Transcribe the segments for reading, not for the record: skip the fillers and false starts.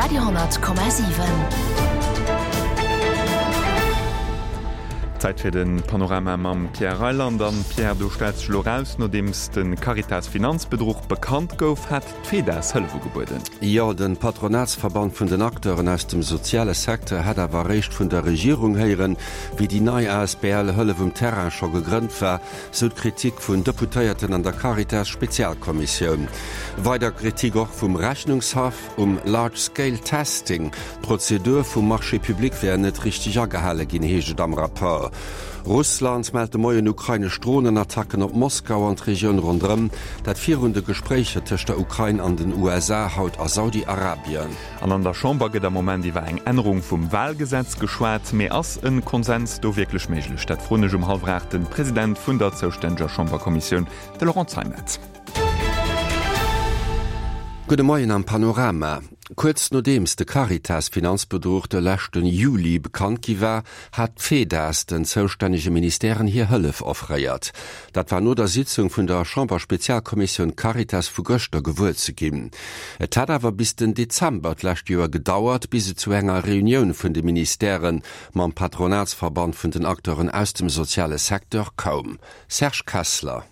Radio 10,7. Zäit fir de Panorama mam Pierre Reyland. An Pierre, do stellt sech elo raus, nodeems de Caritas-Finanzbedruch bekannt gouf, hat d'FEDAS Hëllef ugebueden. Jo, de Patronatsverband vun den Acteuren aus dem soziale Secteur hätt awer eréischt vun der Regierung héieren, wéi déi nei asbl Hëllef um Terrain scho gegrënnt war, sou d'Kritik vun Deputéierten an der Caritas-Spezialkommissioun. Weider Kritik och vum Rechnungshaff um Large Scale Testing. D'Prozedur vum Marché public wär net richteg agehale ginn, heescht et am Rapport. Russland mellt de Moien ukrainesch Dronenattacken op Moskau an d'Regioun ronderëm. Dat virun de Gespréicher tëscht der Ukrain an den USA haut a Saudi-Arabien. An an der Chamber gëtt am Moment iwwer eng Ännerung vum Wahlgesetz geschwat. Mee ass e Konsens do wierklech méiglech? Dat froen ech um hallwer 8 de President vun der zoustänneger Chamberkommissioun, de Laurent Zeimet. Gudde Moien am Panorama. Kuerz nodeems de Caritas-Finanzbedruch de leschten Juli bekannt gi war, hat d'FEDAS den zoustännege Ministèren hir Hëllef offréiert. Dat war no der Sitzung vun der Chamberspezialkommissioun Caritas vu gëschter gewuer ze ginn. Et hat awer bis den Dezember d'lescht Joer gedauert, bis et zu enger Reunioun vun de Ministèrë mam Patronatsverband vun den Acteuren aus dem soziale Secteur koum. Serge Kessler.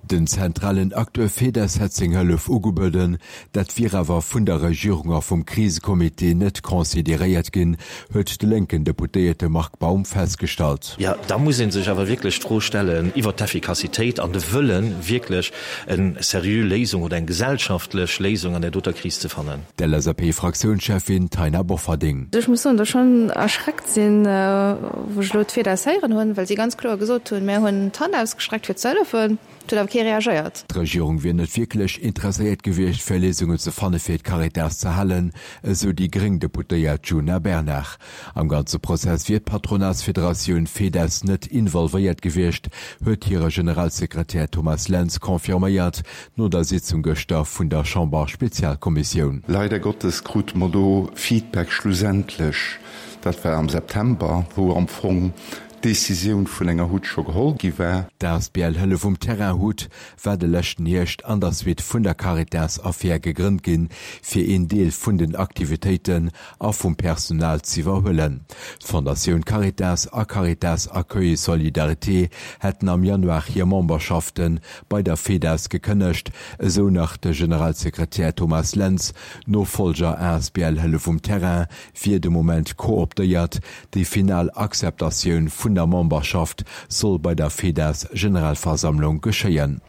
Den zentralen Acteur Fedez hätt seng Hëllef ugebueden, dat wier awer vun der Regierung a vum Krisecomité net consideréiert ginn, huet de lénken Deputéierte Marc Baum festgestallt. Jo, da muss ee sech awer wierklech d'Fro stellen iwwert d'Effikassitéit an de Wëllen, wierklech eng seriö Léisung oder eng gesellschaftlech Léisung an där doter Kris ze fannen. D'LSAP-Fraktiounscheffin Taina Bofferding. Ech muss soen, datt ech schonn erschreckt sinn, wou ech elo d'FEDAS héieren hunn, well si ganz kloer gesot hunn, Mär hunn d'Hand ausgestreckt fir ze hëllefen. Et huet awer kee reagéiert. D'Regierung wier net wierklech interesséiert gewiescht, fir Léisungen ze fanne fir d'Caritas ze halen, esou déi gréng Deputéiert Djuna Bernard. Am ganze Prozess wier d'Patronatsfederatioun FEDES net involvéiert gewiescht, huet hire Generalsekretär Thomas Lentz confirméiert, no der Sitzung gëschter vun der Chamber-Spezialkommissioun. Leider Gottes krute mer do Feedback schlussendlech, dat war am September, wou am Fong d'Décisioun vun enger Hut scho geholl gi war. D'asbl Hëllef um Terrain, hut, war de leschten Hierscht an der Suite vun der Caritas-Affär gegrënnt ginn, fir een Deel vun den Aktivitéiten a vum Personal z'iwwerhuelen. D'Fondatioun Caritas a Caritas Accueil et Solidarité hätten am Januar hir Memberschafte bei der FEDAS gekënnegt, esou nach de Generalsekretär Thomas Lentz. D'Nofollger asbl Hëllef um Terrain wier de Moment kooptéiert. Déi final Akzeptatioun vun der Memberschaft soll bei der FEDAS-Generalversammlung geschéien.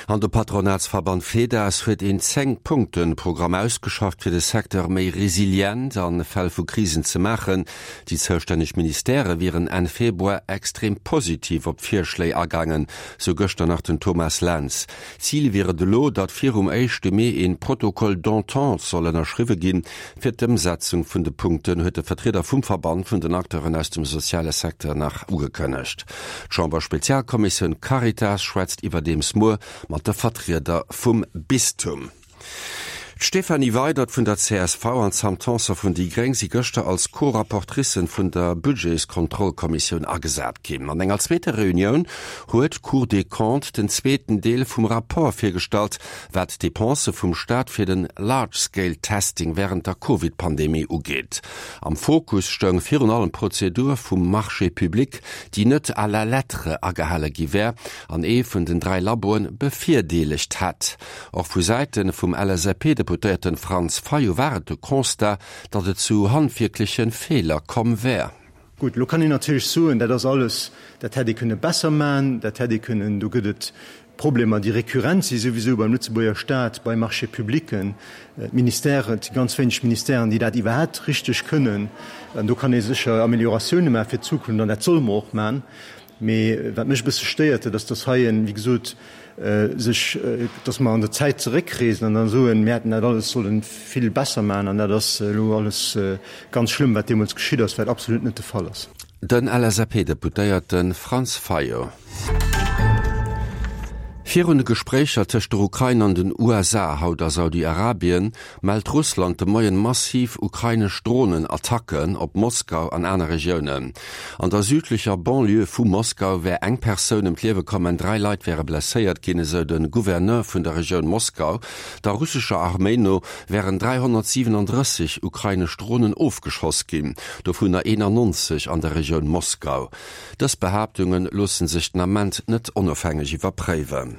An de Patronatsverband FEDAS huet een 10 Punkten-Programm ausgeschafft, fir de Secteur méi resilient a Fäll vu Krisen ze maachen. Déi zoustänneg Ministèrë wieren Enn Februar extrem positiv op d'Virschléi agaangen, sou gëschter nach den Thomas Lentz. Zil wier et elo, datt virum éischte Mee een Protocole d'entente soll ënnerschriwwe ginn. Fir d'Ëmsetzung vun de Punkten huet de Vertrieder vum Verband vun den Acteuren aus dem soziale Secteur nach ugekënnegt. D'Chamber-Spezialkommissioun Caritas schwätzt iwwerdeems muer mat de Vertrieder vum Bistum. D'Stéphanie Weydert vun der csv an d'Sam Tanson vun déi Gréng si gëschter als Co-Rapportricen vun der Budgetskontrollkommissioun agesat ginn. An enger zweeter Reunioun huet d'Cour des Comptes den zweeten Deel vum Rapport virgestallt, wat d'Depensë vum Staat fir den Large Scale Testing wärend der Covid-Pandemie ugeet. Am Fokus stoung virun allem d'Prozedur vum Marché public, déi net à la lettre agehale gi wär an ee vun den 3 Laboen bevirdeelegt hätt. Och vu Säite vum LSAP-Deputéierten Franz Fayot war et de Constat, datt et zu handwierkleche Feeler komm wär. Gutt, elo kann een natierlech soen, dat ass alles, dat hätt ee kënne besser maachen, dat hätt ee kënnen, do gëtt et Problemer, déi récurrent si souwisou beim Lëtzebuerger Staat, bei Marchés publics, d'Ministèren, et si ganz wéineg Ministèren, déi dat iwwerhaapt richteg kënnen. An do kann ee sécher Amélioratioune maache fir d'Zukunft an dat solle mer och maachen. Mee wat mech e bësse stéiert, dat ass, dass hei, wéi gesot, sech, dass mer an der Zäit zeréckreesen an da soen, mir hätten dat alles solle vill besser maachen an dat ass elo alles ganz schlëmm, wat deemools geschitt ass, wat absolut net de Fall ass. Den LSAP-Deputéierte Franz Fayot. Virun de Gespréicher tëscht der Ukrain an den USA haut a Saudi-Arabien, mellt Russland de Moien massiv ukrainesch Dronen-Attacken op Moskau an aner Regiounen. An der südlecher Banlieue vu Moskau wär eng Persoun ëm d'Liewe komm an 3 Leit wäre blesséiert ginn, esou de Gouverneur vun der Regioun Moskau. Der russescher Arméi no wären 337 ukrainesch Dronen ofgeschoss ginn, dovunner 91 an der Regioun Moskau. Dës Behaaptunge loosse sech den Ament net onofhängeg iwwerpréiwen.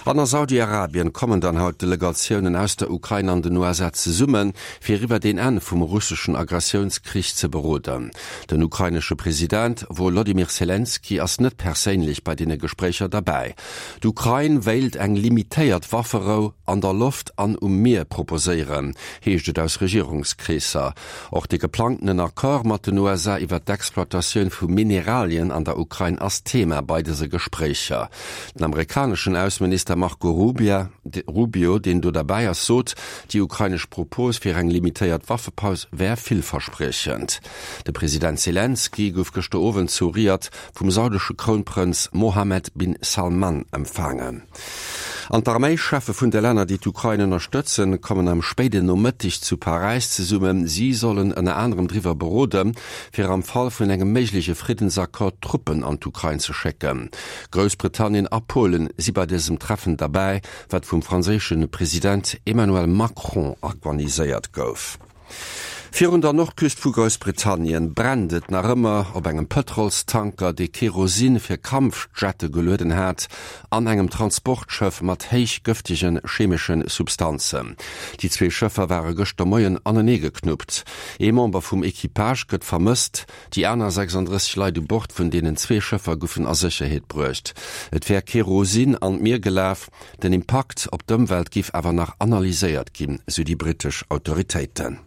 An a Saudi-Arabien kommen dann haut Delegatiounen aus der Ukrain an den USA zesummen, fir iwwert een Enn vum russeschen Aggressiounskrich ze beroden. Den ukrainesche President Wolodymyr Selenskyj ass net perséinlech bei deene Gespréicher derbäi. D'Ukrain wéilt eng limitéiert Wafferou an der Loft an um Mier proposéieren, heescht et aus Regierungskreesser. Och de geplangtenen Accord mat den USA iwwer d'Exploitatioun vu Mineralien an der Ukrain ass Thema bei dëse Gespréicher. Den amerikaneschen Ausseminister Marco Rubio, deen do derbäi ass, sot, déi ukrainesch Propos fir eng limitéiert Waffepaus wär villverspriechend. De President Selenskyj gouf gëschter Owend zu Riad vum saudesche Krounprënz Mohammed bin Salman empfaangen. An d'Arméischeffe vun de Länner, déi d'Ukrain ënnerstëtzen, kommen am spéiden Nomëtteg zu Paräis zesummen. Si sollen ënner anerem driwwer beroden, fir am Fall vun engem méigleche Friddensaccord Truppen an d'Ukrain ze schécken. Groussbritannien a Polen si bei dësem Treffen derbäi, wat vum franséische President Emmanuel Macron organiséiert gouf. Virun der Nordküst vu Groussbritannien brennt et nach ëmmer op engem Pëtrolstanker, dee Kerosin fir Kampfjette gelueden hat, an engem Transportschëff mat héich gëftege chemesche Substanzen. Déi zwee Schëffer ware gëschter Moien aneneegeknuppt. Ee Member vum Equipage gëtt vermësst. Déi aner 36 Leit u Bord vun deenen zwee Schëffer goufen a Sécherheet bruecht. Et wär Kerosin an d'Mier gelaf. Den Impakt op d'Ëmwelt giff awer nach analyséiert ginn, sou déi brittesch Autoritéiten.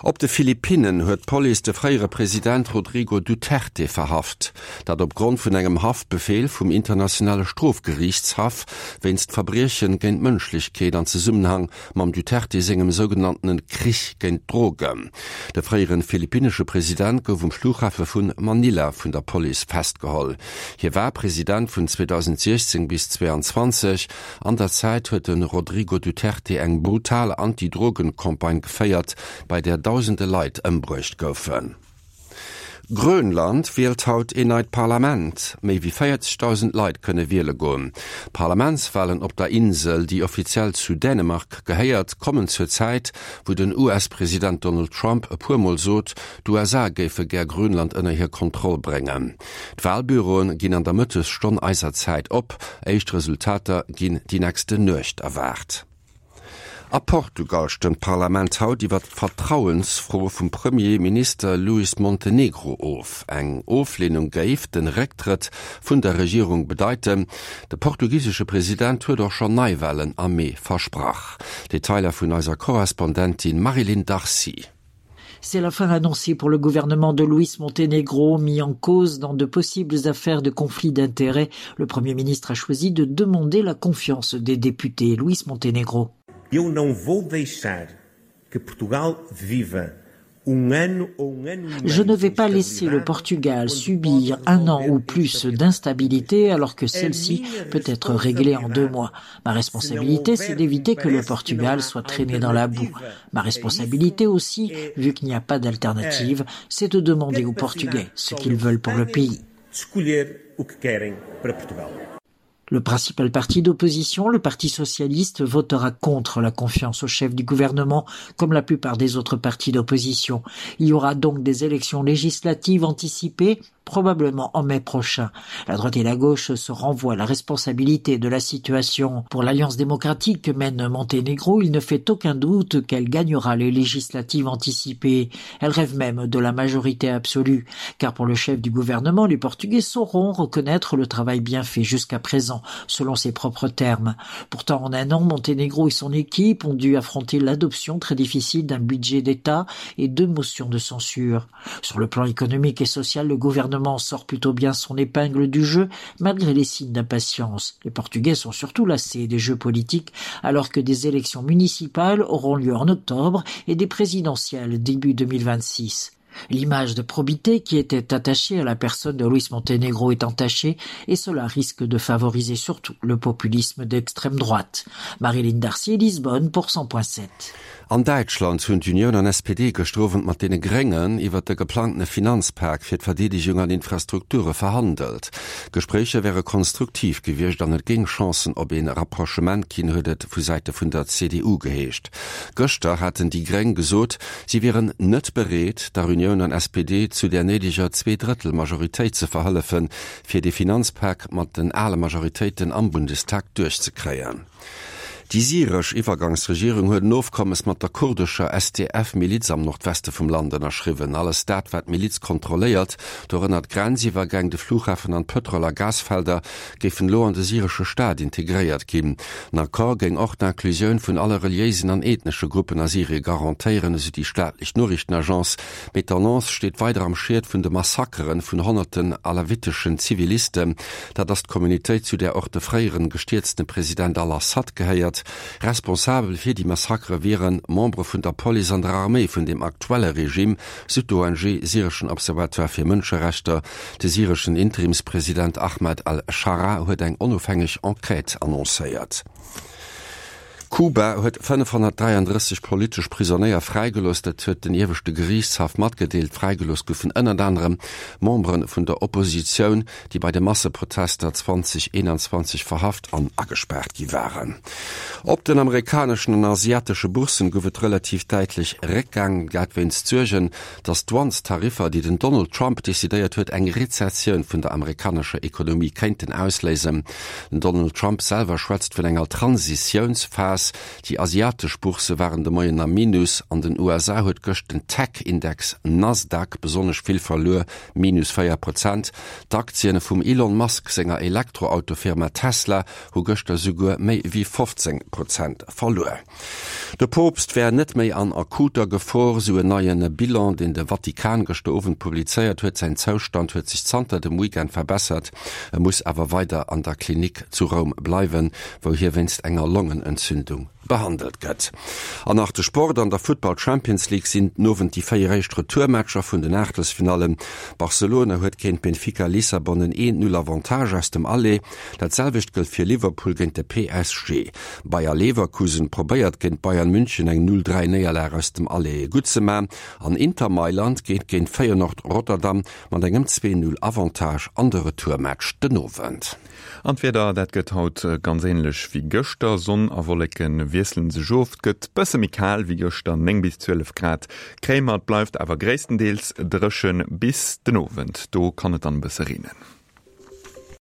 Op de Philippinnen huet d'Police de fréiere President Rodrigo Duterte verhaft. Dat op Grond vun engem Haftbefeel vum Internationale Strofgeriichtshaff wéinst Verbriechen géint d'Mënschlechkeet an Zesummenhang mam Duterte sengem sougenanntene Krich géint d'Drogen. De fréiere philippinnesche President gouf um Flughafe vu Manila vun der Police festgeholl. Hie war President vun 2016 bis 2022. An der Zäit huet de Rodrigo Duterte eng brutal Anti-Drogen-Campagne geféiert, bei där dausende Leit ëmbruecht goufen. Grönland wielt haut een neit Parlament. Méi wéi 40.000 Leit kënne wiele goen. D'Parlamentswalen op der Insel, déi offiziell zu Dänemark gehéiert, kommen zur Zäit, wou den US-President Donald Trump e puer Mol sot, d'USA géife gär Grönland ënner hir Kontroll bréngen. D'Walbüroen ginn an der Mëttesstonn eiser Zäit op. Éischt Resultater ginn déi nächste Nuecht erwaart. A Portugal stëmmt d'Parlament haut iwwer d'Vertrauensfro vum Premier Minister Luis Montenegro of. Eng Ofleenung géif den Récktrëtt vun der Regierung bedeiten. De portugisesche President huet och schonn Neiwalen am Mee versprach. Detailer vun eiser Korrespondentin Marie-Line Darcy. C'est la fin annoncée pour le gouvernement de Luis Montenegro mis en cause dans de possibles affaires de conflits d'intérêts. Le premier ministre a choisi de demander la confiance des députés Luis Montenegro. Eu não vou deixar que Portugal viva Je ne vais pas laisser le Portugal subir un an ou plus d'instabilité alors que celle-ci peut être réglée en deux mois. Ma responsabilité, c'est d'éviter que le Portugal soit traîné dans la boue. Ma responsabilité aussi, vu qu'il n'y a pas d'alternative, c'est de demander aux Portugais ce qu'ils veulent pour le pays. Le principal parti d'opposition, le Parti socialiste, votera contre la confiance au chef du gouvernement, comme la plupart des autres partis d'opposition. Il y aura donc des élections législatives anticipées, probablement en mai prochain. La droite et la gauche se renvoient la responsabilité de la situation. Pour l'Alliance démocratique que mène Monténégro, il ne fait aucun doute qu'elle gagnera les législatives anticipées. Elle rêve même de la majorité absolue. Car pour le chef du gouvernement, les Portugais sauront reconnaître le travail bien fait jusqu'à présent, selon ses propres termes. Pourtant, en un an, Monténégro et son équipe ont dû affronter l'adoption très difficile d'un budget d'État et deux motions de censure. Sur le plan économique et social, le gouvernement sort plutôt bien son épingle du jeu, malgré les signes d'impatience. Les Portugais sont surtout lassés des jeux politiques, alors que des élections municipales auront lieu en octobre et des présidentielles début 2026. L'image de probité qui était attachée à la personne de Luis Montenegro est entachée et cela risque de favoriser surtout le populisme d'extrême droite. Marilyn Darcy Lisbonne pour 100.7. An Däitschland hunn d'Unioun an SPD gëschter Owend mat deene Gréngen iwwert de geplangtene Finanzpak fir d'Verdeedegung an Infrastrukture verhandelt. D'Gespréicher wäre konstruktiv gewiescht an et géing Chancen op ee Rapprochement ginn, huet et vu Säite vun der CDU geheescht. Gëschter haten déi Gréng gesot, si wieren net bereet, der Unioun an SPD zu där néideger Zweedrëttel-Majoritéit ze verhëllefen, fir dee Finanzpak mat den ale Majoritéiten am Bundestag duerchzekréien. Déi syresch Iwwergangsregierung huet en Ofkommes mat der kurdescher SDF-Miliz am Nordweste vum Land ënnerschriwwen. Alles dat, wat d'Miliz kontrolléiert, dorënner d'Grenziwwergäng, de Flughafen an d'Pëtrol a Gasfelder, géifen elo an de syresche Staat integréiert ginn. Den Accord géing och d'Inclusioun vun alle reliéisen an ethnesche Gruppen a Syrie garantéieren, esou déi staatlech Noriichtenagence. Mee d'Annonce steet weider am Schiet vun de Massakeren vun honnerten alawiteschen Zivilisten. Dat ass d'Communautéit, zu där och de fréieren gestierzte President al-Assad gehéiert. Responsabel fir déi Massakere wiere Membere vun der Police an der Arméi vun dem aktuelle Regime, sou d'ONG Syreschen Observatoire fir Mënscherechter. De syreschen Interimspresident Ahmad al-Scharaa huet eng onofhängeg Enquête annoncéiert. Kuba huet 533 politesch Prisonéier fräigelooss, dat huet den ieweschte Geriichtshaff matgedeelt. Fräigelooss goufen ënnert anerem Membere vun der Oppositioun, déi bei de Masseprotester 2021 verhaft an agespaart gi waren. Op den amerikaneschen an asiatesche Bourssen gouf et relativ däitlech Réckgang, dat wéinst Suergen, datt d'Douanestariffer, déi den Donald Trump decidéiert huet, eng Rezessioun vun der amerikanescher Ekonomie kéinten ausléisen. Den Donald Trump selwer schwätzt vun enger Transitiounsphas. Déi asiatesch Boursse waren de Moien am Minus. An den USA huet gëscht den Tech-Index Nasdaq besonnesch vill verluer, minus 4 Prozent. D'Aktien vum Elon Musk senger Elektroautofirma Tesla hu gëschter souguer méi wéi 15 Prozent verluer. De Poopst wär net méi an akuter Gefor, sou en neien Bilan, deen de Vatikan gëschter Owend publizéiert huet. Säin Zoustand huet sech zanter dem Weekend verbessert, e muss awer weider an der Klinik zu Roum bleiwen, wou hie wéinst enger Longenentzündung behandelt gëtt. An nach de Sport, An der Futtball Champions League sinn den Owend déi 4 éischt Retourmatcher vun den Aachtelsfinallen. Barcelona huet géint Benfica Lissabon en 1, 0 Avantage aus dem Aller. Dat selwecht gëllt fir Liverpool géint de PSG. Bayer Leverkusen probéiert géint Bayern München eng 0, 3 Néierlag aus dem Aller gutt ze man an Inter Mailand geet géint Feyenoord Rotterdam mat engem 2, 0 Avantage an de Retourmatch den Owend. An d'Wieder, dat gëtt haut ganz änlech wéi gëschter, Sonn a Wolleke wiessele sech of. Et gëtt bësse méi kal wéi gëschter, 9 bis 12 Grad kréie mer. Et bleift awer gréisstendeels dréchen bis den Owend, do kann et dann e bësse reenen.